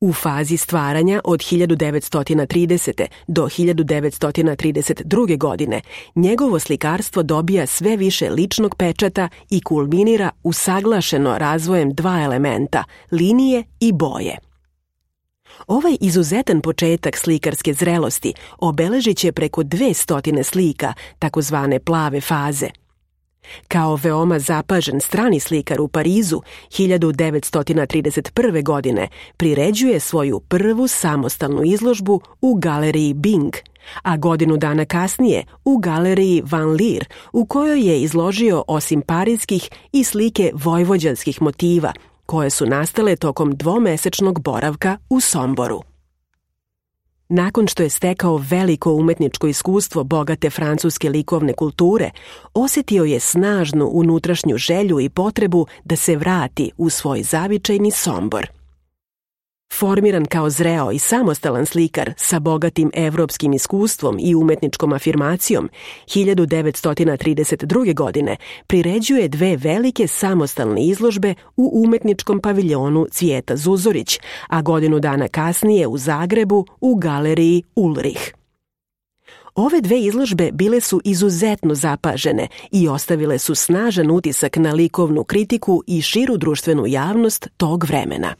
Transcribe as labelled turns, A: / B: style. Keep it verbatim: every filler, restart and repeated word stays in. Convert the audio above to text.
A: U fazi stvaranja od hiljadu devetsto tridesete. do hiljadu devetsto trideset druge. godine njegovo slikarstvo dobija sve više ličnog pečata i kulminira usaglašeno razvojem dva elementa, linije i boje. Ovaj izuzetan početak slikarske zrelosti obeležit će preko dve stotine slika, takozvane plave faze. Kao veoma zapažen strani slikar u Parizu, hiljadu devetsto trideset prve. godine priređuje svoju prvu samostalnu izložbu u galeriji Bing, a godinu dana kasnije u galeriji Van Leer, u kojoj je izložio osim parijskih i slike vojvođanskih motiva, koje su nastale tokom dvomesečnog boravka u Somboru. Nakon što je stekao veliko umetničko iskustvo bogate francuske likovne kulture, osjetio je snažnu unutrašnju želju i potrebu da se vrati u svoj zavičajni Sombor. Formiran kao zreo i samostalan slikar sa bogatim evropskim iskustvom i umetničkom afirmacijom, hiljadu devetsto trideset druge. godine priređuje dve velike samostalne izložbe u umetničkom paviljonu Cvijeta Zuzorić, a godinu dana kasnije u Zagrebu u galeriji Ulrich. Ove dve izložbe bile su izuzetno zapažene i ostavile su snažan utisak na likovnu kritiku i širu društvenu javnost tog vremena.